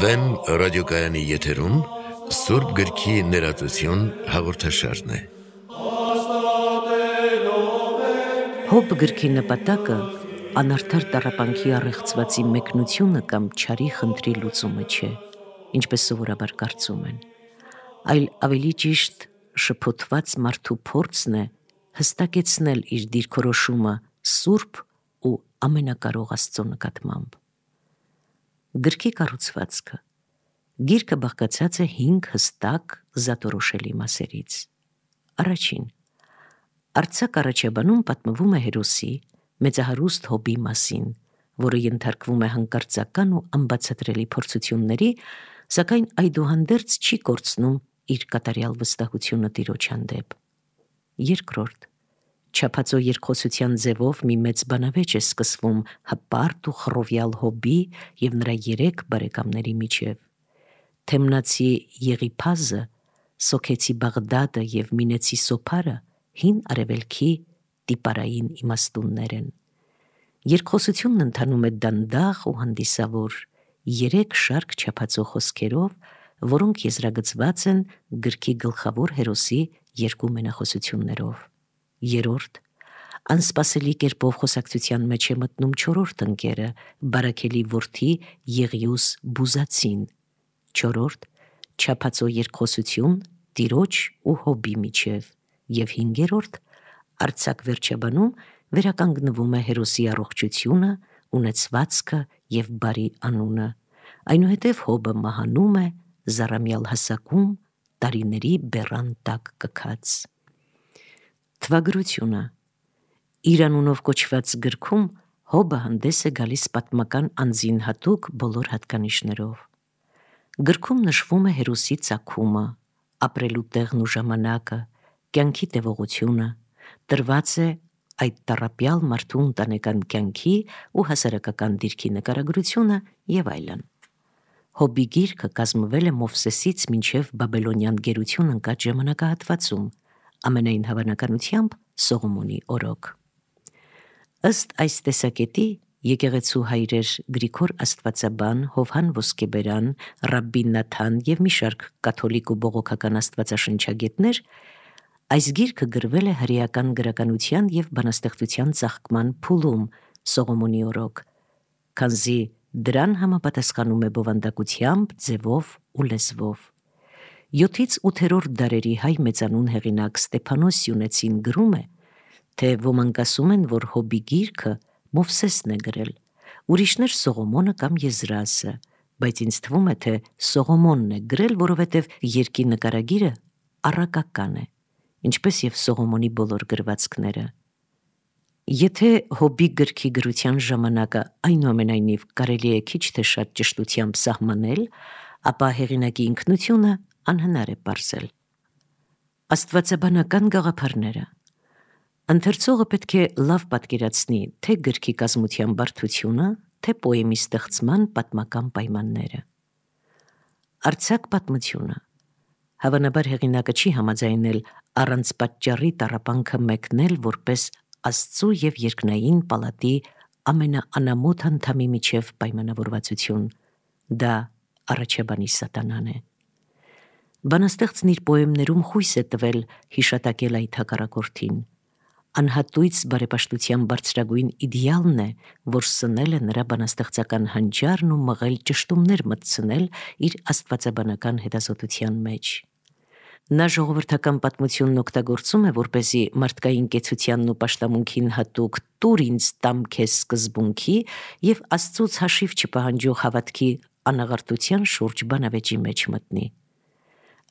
Վեմ ռադիոկայանի եթերում Սուրբ գրքի ներածություն հաղորդաշարն է։ Հոբ գրքի նպատակը անարդար տառապանքի առեղծվածի մեկնությունը կամ չարի խնդրի լուծումը չէ, ինչպես սովորաբար կարծում են, այլ ավելի ճիշտ շփոթված մարդու փորձն է հստակեցնել իր դիրքորոշումը Սուրբ ու ամենակարող Աստծո նկատմամբ։ Գրքի կառուցվածքը։ Գիրքը բաղկացած է 5 հստակ զատորոշելի մասերից։ Առաջին. արձակ առաջաբանում պատմվում է հերոսի մեծահարուստ Հոբի մասին, որը ենթարկվում է հանկարծական ու անբացատրելի փորձությունների, սակայն այդուհանդերձ չի կորցնում իր կատարյալ վստահությունը Տիրոջ հանդեպ։ Երկրորդ. չափածո երկխոսության ձևով մի մեծ բանավեճ է սկսվում հպարտ ու խռովյալ Հոբի և նրա 3 բարեկամների միջև։ Թեմնացի Եղիփազը, Սոքեցի Բաղդադը և Մինեցի Սոփարը հին արևելքի տիպարային իմաստուններ են։ Երկխոսությունն ընթանում է դանդաղ ու հանդիսավոր 3 շարք չափածո խոսքերով, որոնք եզրագծված են գրքի գլխավոր հերոսի 2 մենախոսություններով։ Երրորդ. անսպասելի կերպով խոսակցության մեջ է մտնում 4-րդ ընկերը, Բարաքելի որդի Եղիուս Բուզացին։ Չորրորդ. չափածո երկխոսություն Տիրոջ ու Հոբի միջև։ Եվ 5-րդ. արձակ վերջաբանում վերականգնվում է հերոսի առողջությունը, ունեցվածքը և բարի անունը, այնուհետև Հոբը մահանում է զառամյալ հասակում տարիների բեռան տակ կքած։ Թվագրությունը։ Իր անունով կոչված գրքում Հոբը հանդես է գալիս պատմական անձին հատուկ բոլոր հատկանիշներով։ Գրքում նշվում է հերոսի ծագումը, ապրելու տեղն ու ժամանակը, կյանքի տևողությունը, տրված է այդ տառապյալ մարդու ընտանեկան կյանքի ու հասարակական դիրքի նկարագրությունը և այլն։ Հոբի գիրքը կազմվել է Մովսեսից մինչև Բաբելոնյան գերություն ընկած ժամանակահատվածում, ամենայն հավանականությամբ Սողոմոնի օրոք։ Ըստ այս տեսակետի եկեղեցու հայրեր Գրիգոր Աստվածաբան, Հովհան Ոսկեբերան, Ռաբբի Նաթան և մի շարք կաթոլիկ ու բողոքական աստվածաշնչագետներ այս գիրքը գրվել է հրեական գրականության և բանաստեղծության ծաղկման փուլում Սողոմոնի օրոք, քանզի դրան համապատասխանում է բովանդակությամբ, ձևով ու լեզվով։ 7-ից 8-րդ դարերի հայ մեծանուն հեղինակ Ստեփանոս Սյունեցին գրում է, թե ոմանք ասում են, որ Հոբի գիրքը Մովսեսն է գրել, ուրիշներ Սողոմոնը կամ Եզրասը, բայց ինձ թվում է, թե Սողոմոնն է գրել, որովհետև երկի նկարագիրը առակական է, ինչպես և Սողոմոնի բոլոր գրվածքները։ Եթե Հոբի գրքի գրության ժամանակը այնուամենայնիվ կարելի է քիչ թե շատ ճշտությամբ սահմանել, ապա հեղինակի ինքնությունը անհնար է պարզել։ Աստվածաբանական գաղափարները։ Ընթերցողը պետք է լավ պատկերացնի թե գրքի կազմության բարդությունը, թե պոեմի ստեղծման պատմական պայմանները։ Արձակ պատմությունը։ Հավանաբար հեղինակը չի համաձայնել առանց պատճառի տառապանքը մեկնել որպես Աստծու և երկնային պալատի ամենաանամոթ անդամի միջև պայմանավորվածություն։ Դա առաջաբանի սատանան է։ Բանաստեղծն իր պոեմներում խույս է տվել հիշատակել այդ հակառակորդին։ Անհատույց բարեպաշտության բարձրագույն իդեալն է, որ սնել է նրա բանաստեղծական հանճարն ու մղել ճշտումներ մտցնել իր աստվածաբանական հետազոտության մեջ։ Նա ժողովրդական պատմությունն օգտագործում է, որպեսզի մարդկային կեցությանն ու պաշտամունքին հատուկ «տուր ինձ տամ քեզ» սկզբունքի և Աստծուց հաշիվ չպահանջող հավատքի անաղարտության շուրջ բանավեճի մեջ մտնի։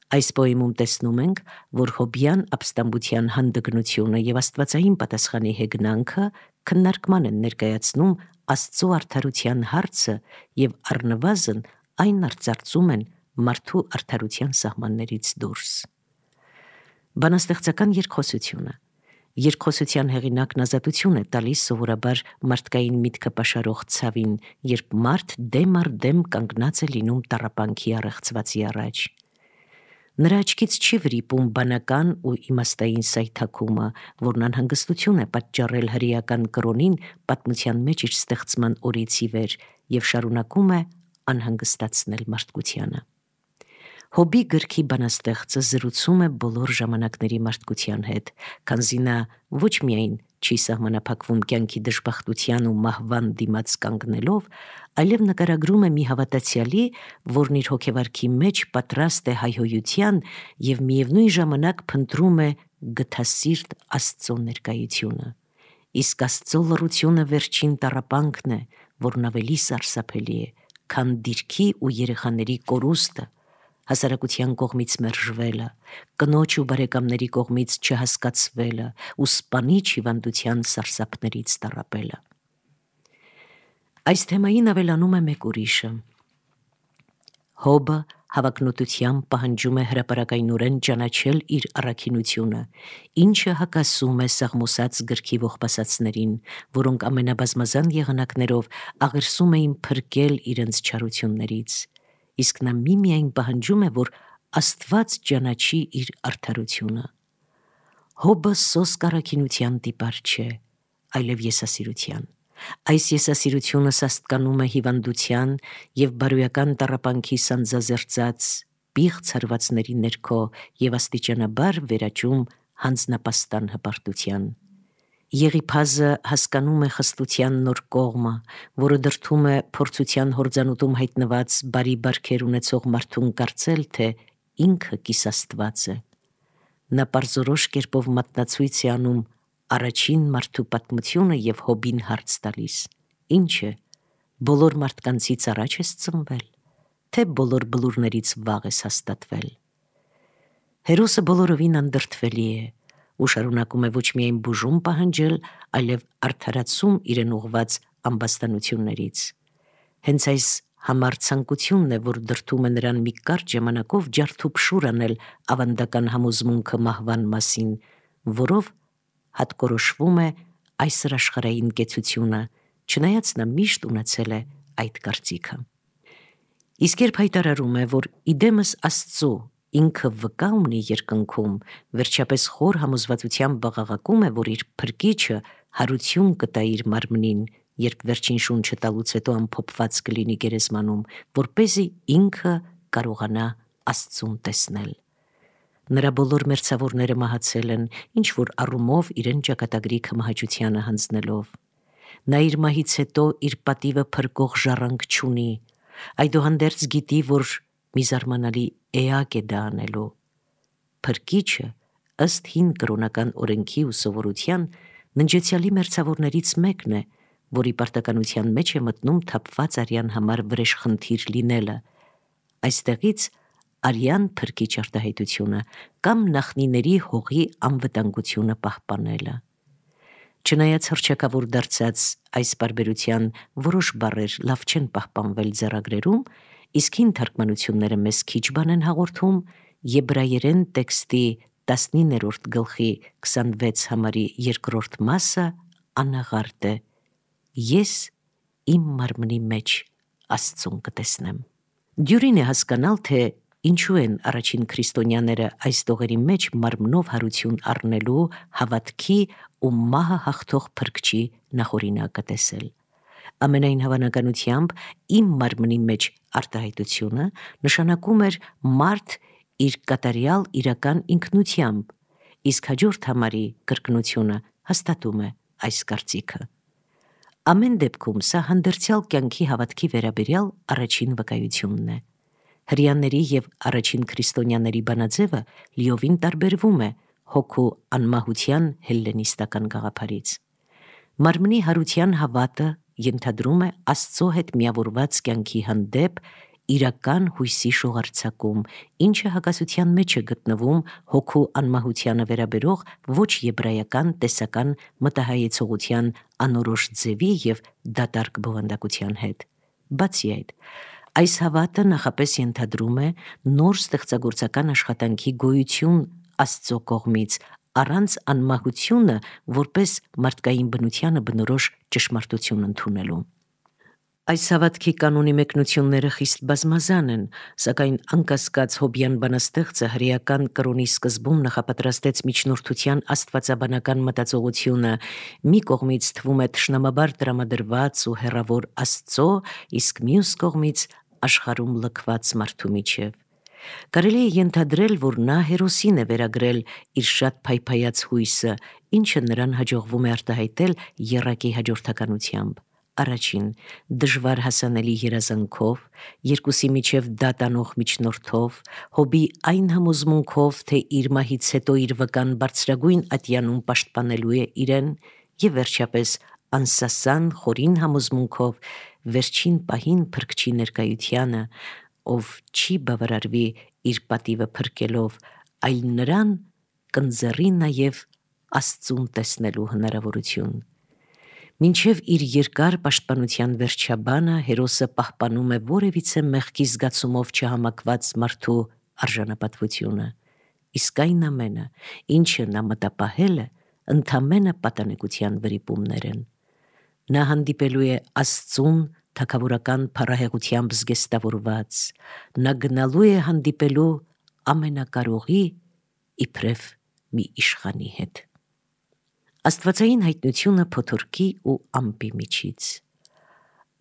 Այս պոեմում տեսնում ենք, որ հոբյան ապստամբության հանդգնությունը և աստվածային պատասխանի հեգնանքը քննարկման են ներկայացնում Աստծո արդարության հարցը և առնվազն այն արծարծում են մարդու արդարության սահմաններից դուրս։ Բանաստեղծական երկխոսությունը։ Երկխոսության հեղինակն ազատություն է տալիս սովորաբար մարդկային միտքը պաշարող ցավին, երբ մարդ դեմ առ դեմ կանգնած է լինում տառապանքի առեղծվածի առաջ։ Նրա աչքից չի վրիպում բանական ու իմաստային սայթաքումը, որն անհանգստություն է պատճառել հրեական կրոնին պատմության մեջ իր ստեղծման օրից ի վեր եւ շարունակում է անհանգստացնել մարդկությանը։ Հոբի գրքի բանաստեղծը զրուցում է բոլոր ժամանակների մարդկության հետ, քանզի նա ոչ միայն չի սահմանափակվում կյանքի դժբախտության ու մահվան դիմաց կանգնելով, այլև նկարագրում է մի հավատացյալի, որն իր հոգեվարքի մեջ պատրաստ է հայհոյության եւ միևնույն ժամանակ փնտրում է գթասիրտ Աստծո ներկայությունը։ Իսկ Աստծո լռությունը վերջին տառապանքն է, որն ավելի սարսափելի է, քան դիրքի ու երեխաների կորուստը, հասարակության կողմից մերժվելը, կնոջ ու բարեկամների կողմից չհասկացվելը ու սպանիչ հիվանդության սարսափներից տառապելը։ Այս թեմային ավելանում է մեկ ուրիշը։ Հոբը հավակնոտությամբ պահանջում է հրապարակայնորեն ճանաչել իր առաքինությունը, ինչը հակասում է Սաղմոսաց գրքի ողբասացներին, որոնք ամենաբազմազան եղանակներով աղերսում էին փրկել իրենց չարություններից, իսկ նա միմիայն պահանջում է, որ Աստված ճանաչի իր արդարությունը։ Հոբը սոսկ առաքինության տիպար չէ, այլև եսասիրության։ Այս եսասիրությունը սաստկանում է հիվանդության եւ բարոյական տառապանքի սանձազերծած պիղծ հարվածների ներքո եւ աստիճանաբար վերաճում հանձնապաստան հպարտության։ Եղիփազը հասկանում է խստության նոր կողմը, որը դրդում է փորձության հորձանուտում հայտնված բարի բարքեր ունեցող մարդուն կարծել, թե ինքը կիսաստված է։ Նա պարզորոշ կերպով մատնացույց է անում առաջին մարդու պատմությունը եւ Հոբին հարց տալիս. Ինչ է, բոլոր մարդկանցից առաջ ես ծնվել, թե բոլոր բլուրներից վաղ ես հաստատվել։ Հերոսը բոլորովին անդրդվելի է ու շարունակում է ոչ միայն բուժում պահանջել, այլև արդարացում իրեն ուղված ամբաստանություններից։ Հենց այս համար ցանկությունն է, որ դրդում է նրան մի կարճ ժամանակով ջարդուփշուր անել ավանդական համոզմունքը մահվան մասին, որով հատկորոշվում է այսր աշխարհային կեցությունը, չնայած նա միշտ ունեցել է այդ կարծիքը։ Իսկ երբ հայտարարում է, որ իդեմս Աստծո ինքը վկա ունի երկնքում, վերջապես խոր համոզվածությամբ բաղաղակում է, որ իր փրկիչը հարություն կտա իր մարմնին, երբ վերջին շունչը տալուց հետո ամփոփված կլինի գերեզմանում, որպեսզի ինքը կարողանա Աստծուն տեսնել։ Նրա բոլոր մերձավորները մահացել են, ինչ որ առումով իրեն ճակատագրի քմահաճությանը հանձնելով։ Նա իր մահից հետո իր պատիվը փրկող ժառանգ չունի, այդուհանդերձ գիտի, որ մի զարմանալի էակ է դա անելու։ Փրկիչը, ըստ հին կրոնական օրենքի ու սովորության, ննջեցյալի մերձավորներից մեկն է, որի պարտականության մեջ է մտնում թափված արյան համար վրեժխնդիր լինելը։ Այստեղից արյան փրկիչ արտահայտությունը կամ նախնիների հողի անվտանգությունը պահպանելը։ Չնայած հռչակավոր դարձած այս պարբերության որոշ բառեր լավ չեն պահպանվել ձեռագրերում, իսկ հին թարգմանությունները մեզ քիչ բան են հաղորդում, եբրայերեն տեքստի 19-րդ գլխի 26 համարի 2-րդ մասը անաղարտ է. Ես իմ մարմնի մեջ Աստծուն կտեսնեմ։ Դյուրին է հասկանալ, թե ինչու են առաջին քրիստոնյաները այս տողերի մեջ մարմնով հարություն առնելու հավատքի ու մահը հաղթող փրկչի նախօրինակը տեսել։ Ամենայն հավանականությամբ իմ մարմնի մեջ արտահայտությունը նշանակում էր մարդ իր կատարյալ իրական ինքնությամբ, իսկ հաջորդ համարի կրկնությունը հաստատում է այս կարծիքը։ Ամեն դեպքում սա հանդերձյալ կյանքի հավատքի վերաբերյալ առաջին վկայությունն է։ Հրեաների եւ առաջին քրիստոնյաների բանաձևը լիովին տարբերվում է հոգու անմահության հելլենիստական գաղափարից։ Մարմնի հարության հավատը ենթադրում է Աստծո հետ միավորված կյանքի հանդեպ իրական հույսի շողարցակում, ինչը հակասության մեջ է գտնվում հոգու անմահությանը վերաբերող ոչ եբրայական տեսական մտահայեցողության անորոշ ձևի եւ դատարկ բովանդակության հետ։ Բացի այդ, այս հավատը նախապես ենթադրում է նոր ստեղծագործական աշխատանքի գոյություն Աստծո կողմից, առանց անմահությունը որպես մարդկային բնությանը բնորոշ ճշմարտություն ընդունելու։ Այս հավատքի կանոնի մեկնությունները խիստ բազմազան են, սակայն անկասկած հոբյան բանաստեղծը հրեական կրոնի սկզբում նախապատրաստեց միջնորդության աստվածաբանական մտածողությունը, մի կողմից թվում է թշնամաբար տրամադրված ու հեռավոր Աստծո, իսկ մյուս կողմից աշխարհում լքված մարդու միջև։ Կարելի է ենթադրել, որ նա Հերոսին է վերագրել իր շատ փայփայած հույսը, ինչը նրան հաջողվում է արտահայտել եռակի հաջորդականությամբ։ Առաջին, դժվար հասանելի երազանքով, երկուսի միջև դատանող միջնորդով, հոբի այն համոզմունքով, թե իր մահից հետո իր վկան բարձրագույն ատյանում պաշտպանելու է իրեն, եւ վերջապես անսասան խորին համոզմունքով վերջին պահին փրկչի ներկայությանը, ով չի բավարարվի իր պատիվը փրկելով, այլ նրան կընձեռի նաև Աստծուն տեսնելու հնարավորություն։ Մինչև իր երկար պաշտպանության վերջաբանը Հերոսը պահպանում է որևիցե մեղքի զգացումով չհամակված մարդու արժանապատվությունը, իսկ այն ամենը, ինչը նա մտապահել է, ընդամենը պատանեկության վրիպումներ են։ Նա հանդիպելու է Աստծուն թագավորական փառահեղությամբ զգեստավորված, նա գնալու է հանդիպելու ամենակարողի իբրև մի իշխանի հետ։ Աստվածային հայտնությունը փոթորկի ու ամպի միջից։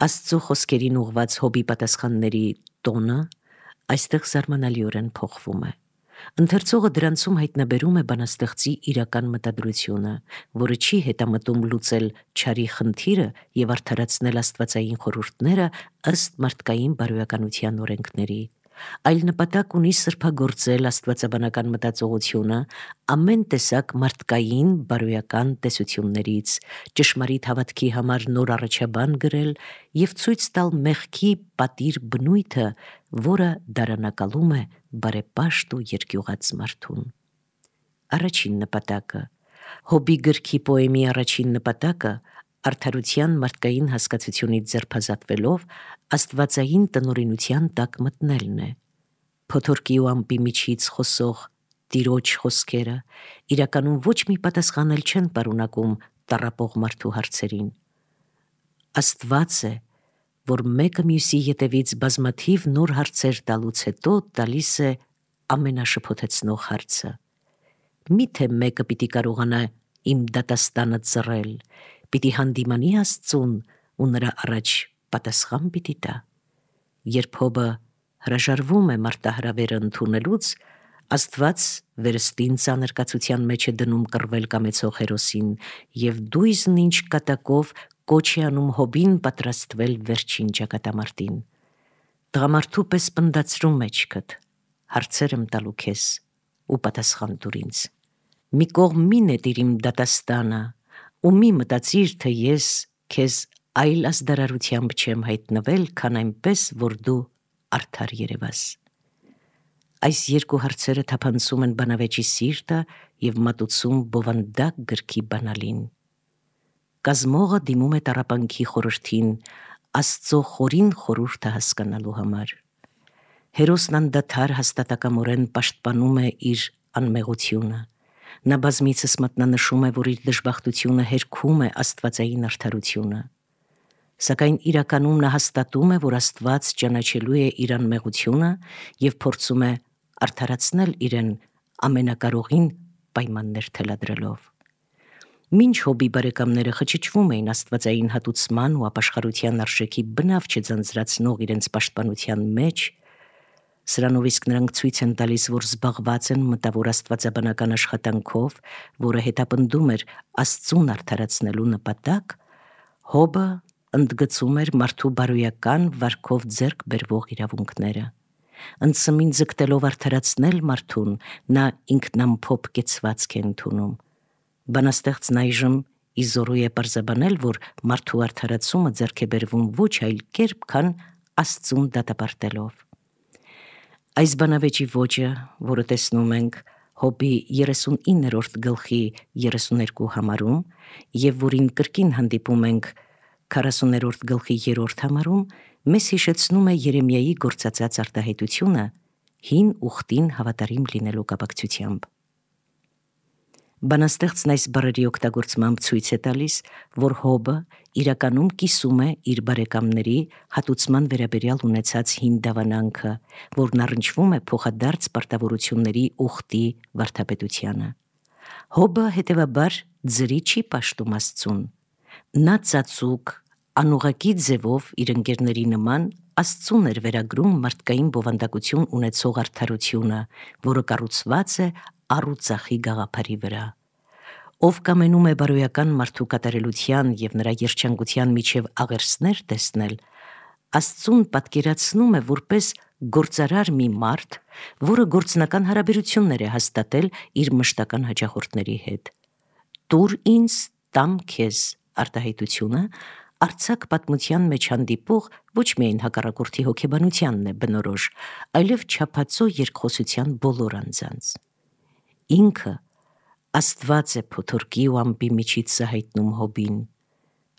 Աստծո խոսքերին ուղված հոբի պատասխանների տոնը այստեղ զարմանալիորեն փոխվում է։ Ընթերցողը դրանցում հայտնաբերում է բանաստեղծի իրական մտադրությունը, որը չի հետամտում լուծել չարի խնդիրը եւ արդարացնել աստվածային խորհուրդները ըստ մարդկային բարոյականության օրենքների, այլ նպատակ ունի սրբագործել աստվածաբանական մտածողությունը ամեն տեսակ մարդկային բարոյական տեսություններից, ճշմարիտ հավատքի համար նոր առաջաբան գրել եւ ցույց տալ մեղքի պատիր բնույթը, որը դարանակալում է բարեպաշտ ու երկյուղած մարդուն։ Առաջին նպատակը, հոբի գրքի պոեմի առաջին նպատակը արդարության մարդկային հասկացությունից ձերբազատվելով աստվածային տնօրինության տակ մտնելն է։ Փոթորկի ու ամպի միջից խոսող Տիրոջ խոսքերը իրականում ոչ մի պատասխան էլ չեն պարունակում տառապող մարդու հարցերին։ Աստված է, որ մեկը մյուսի ետևից բազմաթիվ նոր հարցեր տալուց հետո տալիս է ամենաշփոթեցնող հարցը. միթե մեկը պիտի կարողանա իմ դատաստանը ծռել, պիտի հանդիմանի Աստծուն ու նրա առաջ պատասխան պիտի տա։ Երբ հոբը հրաժարվում է մարտահրավերը ընդունելուց, Աստված վերստին ծանրկացության մեջ է դնում կռվել կամեցող Հերոսին եւ դույզն ինչ կատակով կոչ է անում հոբին պատրաստվել վերջին ճակատամարտին։ Տղամարդու պես պնդացրու մեջքդ, հարցեր եմ տալու քեզ ու պատասխան տուր ինձ։ Մի կողմ մի նետիր իմ դատաստանը ու մի մտածիր, թե ես քեզ այլ ազդարարությամբ չեմ հայտնվել, քան այնպես, որ դու արդար երևաս։ Այս երկու հարցերը թափանցում են բանավեճի սիրտը եւ մատուցում բովանդակ գրքի բանալին։ Կազմողը դիմում է տառապանքի խորհրդին Աստծո խորին խորհուրդը հասկանալու համար։ Հերոսն անդադար հաստատակամորեն պաշտպանում է իր անմեղությունը։ Նա բազմիցս մատնանշում է, որ իր դժբախտությունը հերքում է աստվածային արդարությունը։ Սակայն իրականում նա հաստատում է, որ Աստված ճանաչելու է իր անմեղությունը եւ փորձում է արդարացնել իրեն ամենակարողին պայմաններ թելադրելով։ Մինչ հոբի բարեկամները խճճվում էին աստվածային հատուցման ու ապաշխարության արժեքի բնավ չձանձրացնող իրենց պաշտպանության մեջ, սրանով իսկ նրանք ցույց են տալիս, որ զբաղված են մտավոր աստվածաբանական աշխատանքով, որը հետապնդում էր Աստծուն արդարացնելու նպատակ, հոբը ընդգծում էր մարդու բարոյական վարքով ձեռք բերվող իրավունքները։ Ընծմին ձգտելով արդարացնել մարդուն, նա ինքնամփոփ կեցվածք է ընդունում։ Բանաստեղծն այժմ իզորու է պարզաբանել, որ մարդու արդարացումը ձեռք է բերվում ոչ այլ կերպ, քան Աստծուն դատապարտելով։ Այս բանավեճի ոճը, որը տեսնում ենք հոբի 39-րդ գլխի 32 համարում եւ որին կրկին հանդիպում ենք 40-րդ գլխի 3-րդ համարում, մեզ հիշեցնում է Երեմիայի գործածած արտահայտությունը հին ուխտին հավատարիմ լինելու կապակցությամբ։ Բանաստեղծն այս բառերի օգտագործմամբ ցույց է տալիս, որ Հոբը իրականում կիսում է իր բարեկամների հատուցման վերաբերյալ ունեցած հին դավանանքը, որն առնչվում է փոխադարձ պարտավորությունների ուխտի վարդապետությանը։ Հոբը հետևաբար ձրի չի պաշտում Աստծուն։ Նա ծածուկ, անուղղակի ձևով իր ընկերների նման Աստծուն էր վերագրում մարդկային բովանդակություն ունեցող արդարությունը, որը կառուցված է առ ու ծախի գաղափարի վրա։ Ով կամենում է բարոյական մարդու կատարելության և նրա երջանկության միջև աղերսներ տեսնել, Աստծուն պատկերացնում է որպես գործարար մի մարդ, որը գործնական հարաբերություններ է հաստատել իր մշտական հաճախորդների հետ։ «Տուր ինձ, տամ քեզ» արտահայտությունը արձակ պատմության մեջ հանդիպող ոչ միայն հակառակորդի հոգեբանությանն է բնորոշ, այլև չափածո երկխոսության բոլոր անձանց։ Ինքը Աստված է փոթորկի ու ամպի միջից հայտնում Հոբին։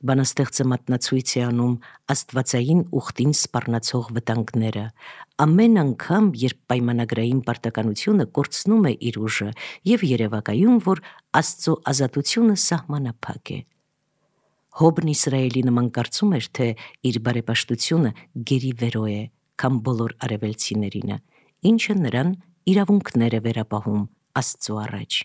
Բանաստեղծը մատնացույց է անում աստվածային ուխտին սպառնացող վտանգները, ամեն անգամ, երբ պայմանագրային պարտականությունը կորցնում է իր ուժը և երևակայում, որ Աստծո ազատությունը սահմանափակ է։ Հոբն Իսրայելի նման կարծում էր, թե իր բարեպաշտությունը գերիվերո է, քան բոլոր արևելցիներինը, ինչը նրան իրավունքներ է վերապահում Աստծո առաջ։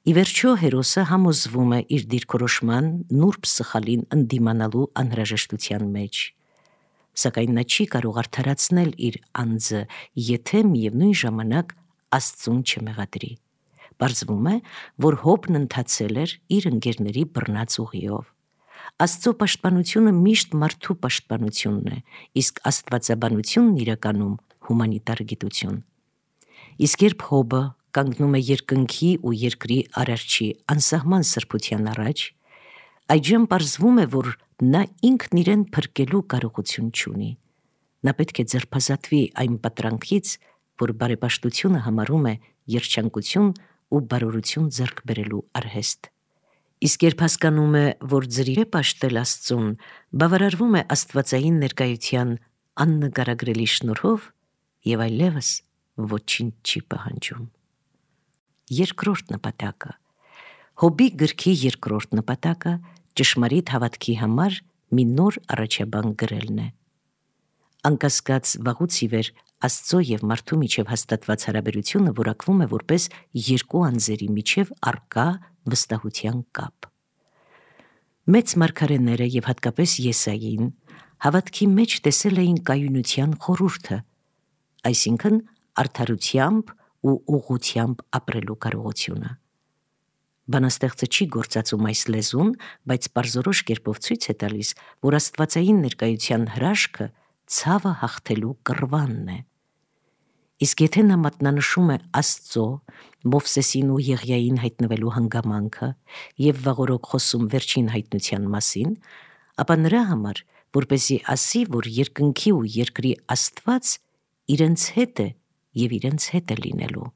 Ի վերջո հերոսը համոզվում է իր դիրքորոշման նուրբ սխալին ընդդիմանալու անհրաժեշտության մեջ, սակայն նա չի կարող արդարացնել իր անձը, եթե միևնույն ժամանակ Աստծուն չմեղադրի։ Պարզվում է, որ Հոբն ընթացել էր իր ընկերների բռնած ուղիով։ Աստծո պաշտպանությունը միշտ մարդու պաշտպանությունն է, իսկ աստվածաբանությունն իրականում հումանիտար գիտություն։ Իսկ երբ Հոբը կանգնում է երկնքի ու երկրի արարչի անսահման սրբության առաջ, այդժամ պարզվում է, որ նա ինքն իրեն փրկելու կարողություն չունի։ Նա պետք է ձերբազատվի այն պատրանքից, որ բարեպաշտությունը համարում է երջանկություն ու բարօրություն ձեռք բերելու արհեստ։ Իսկ երբ հասկանում է, որ ձրի է պաշտել Աստծուն, բավարարվում է աստվածային ներկայության աննկարագրելի շնորհով և այլևս ոչինչ չի պահանջում։ Երկրորդ նպատակը։ Հոբի գրքի երկրորդ նպատակը ճշմարիտ հավատքի համար մի նոր առաջաբան գրելն է։ Անկասկած վաղուց ի վեր Աստծո և մարդու միջև հաստատված հարաբերությունը որակվում է որպես երկու անձերի միջև առկա վստահության կապ։ Մեծ մարգարեները և հատկապես Եսային հավատքի մեջ տեսել էին կայունության խորհուրդը, այսինքն արդարությամբ ու ուղղությամբ ապրելու կարողությունը։ Բանաստեղծը չի գործածում այս լեզուն, բայց պարզորոշ կերպով ցույց է տալիս, որ աստվածային ներկայության հրաշքը ցավը հաղթելու կռվանն է։ Իսկ եթե նա մատնանշում է Աստծո, Մովսեսին ու Եղիային հայտնվելու հանգամանքը և վաղօրոք խոսում վերջին հայտնության մասին, ապա նրա համար, որպեսզի ասի, որ երկնքի ու երկրի Աստված իրենց հետ է և իրենց հետ է լինելու։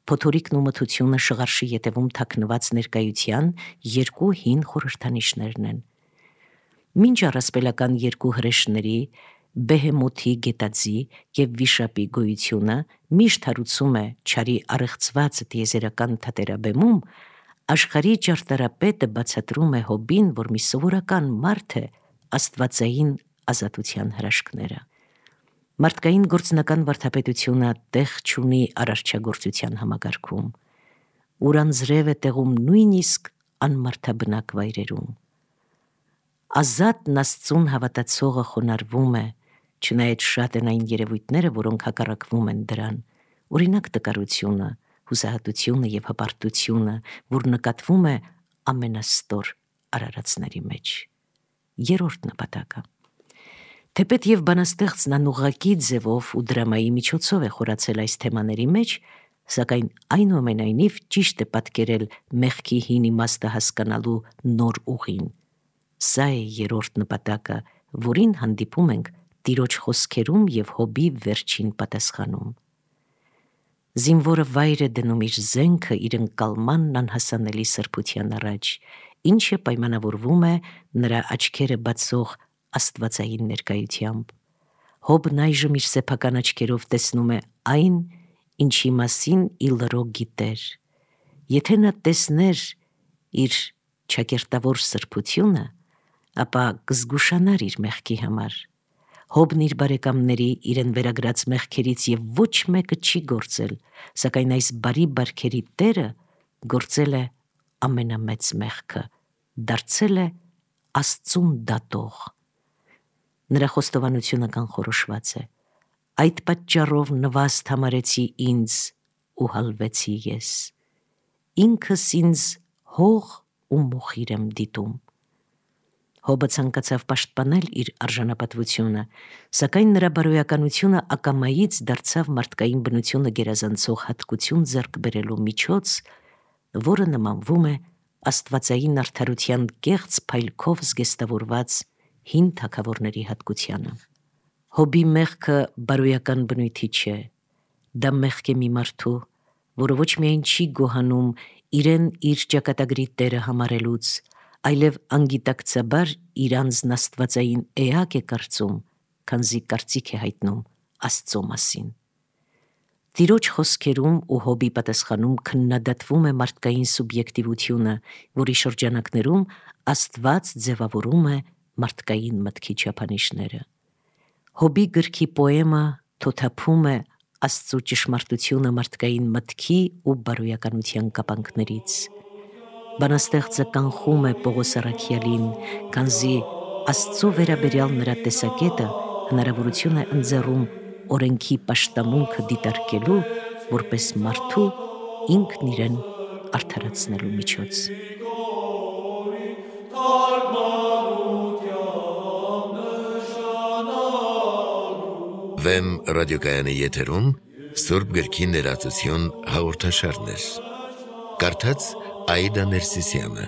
Փոթորիկն ու մթությունը շղարշի ետևում թաքնված ներկայության երկու հին խորհրդանիշներն են։ Մինչ առասպելական երկու հրեշների՝ Բեհեմոթի գետաձի և Վիշապի գոյությունը միշտ հարուցում է չարի առեղծված տիեզերական թատերաբեմում, աշխարհի ճարտարապետը բացատրում է Հոբին, որ մի սովորական մարդ է աստվածային ազատության հրաշքները։ Մարդկային գործնական վարդապետությունը տեղ չունի արարչագործության համակարգում, ուր անձրև է տեղում նույնիսկ անմարդաբնակ վայրերում։ Ազատն Աստծուն հավատացողը խոնարհվում է, չնայած շատ են այն երևույթները, որոնք հակառակվում են դրան, օրինակ տկարությունը, հուսահատությունը և հպարտությունը, որ նկատվում է ամենաստոր արարածների մեջ։ Երրորդ նպատակը։ Թեպետ և բանաստեղծն անուղղակի ձևով ու դրամայի միջոցով է խորացել այս թեմաների մեջ, սակայն այնուամենայնիվ ճիշտ է պատկերել մեղքի հին իմաստը հասկանալու նոր ուղին։ Սա է երրորդ նպատակը, որին հանդիպում ենք Տիրոջ խոսքերում և Հոբի վերջին պատասխանում։ Զինվորը վայր է դնում իր զենքը իր ընկալմանն անհասանելի սրբության առաջ, ինչը պայմանավորվում է նրա աչքերը բացող աստվածային ներկայությամբ։ Հոբն այժմ իր սեփական աչքերով տեսնում է այն, ինչի մասին ի լրո գիտեր, Եթե նա տեսներ իր ճակերտավոր սրբությունը, ապա կզգուշանար իր մեղքի համար։ Հոբն իր բարեկամների իրեն վերագրած մեղքերից եւ ոչ մեկը չի գործել, սակայն այս բարի բարքերի Տերը գործել է ամենամեծ մեղքը, դարձել է Աստծուն դատող։ Նրա խոստովանությունը կանխորոշված է. այդ պատճառով նվաստ համարեցի ինձ ու հալվեցի ես։ Ինքս ինձ հող ու մոխիր եմ դիտում։ Հոբը ցանկացավ պաշտպանել իր արժանապատվությունը, սակայն նրա բարոյականությունը ակամայից դարձավ մարդկային բնությունը գերազանցող հատկություն ձեռք բերելու միջոց, որը նմանվում է աստվածային արդարության կեղծ փայլքով զգեստավորված հին թագավորների հատկությանը։ Հոբի մեղքը բարոյական բնույթի չէ, դա մեղք է մի մարդու, որը ոչ միայն չի գոհանում իրեն իր ճակատագրի տերը համարելուց, այլև անգիտակցաբար իր անձն աստվածային էակ է կարծում, քանզի կարծիք է հայտնում Աստծո մասին։ Տիրոջ խոսքերում ու Հոբի պատասխանում քննադատվում է մարդկային սուբյեկտիվությունը, որի շրջանակներում Աստված ձևավորում է մարդկային մտքի չափանիշները։ Հոբի գրքի պոեմը թոթափում է Աստծո ճշմարտությունը մարդկային մտքի ու բարոյականության կապանքներից։ Բանաստեղծը կանխում է Պողոս առաքյալին, քանզի Աստծո վերաբերյալ նրա տեսակետը հնարավորություն է ընձեռում օրենքի պաշտամունքը դիտարկելու որպես մարդու ինքն իրեն արդարացնելու միջոց։ Վեմ ռադիոկայանի եթերում Սուրբ գրքի ներածություն հաղորդաշարներ։ Կարդաց Աիդա Ներսիսյանը։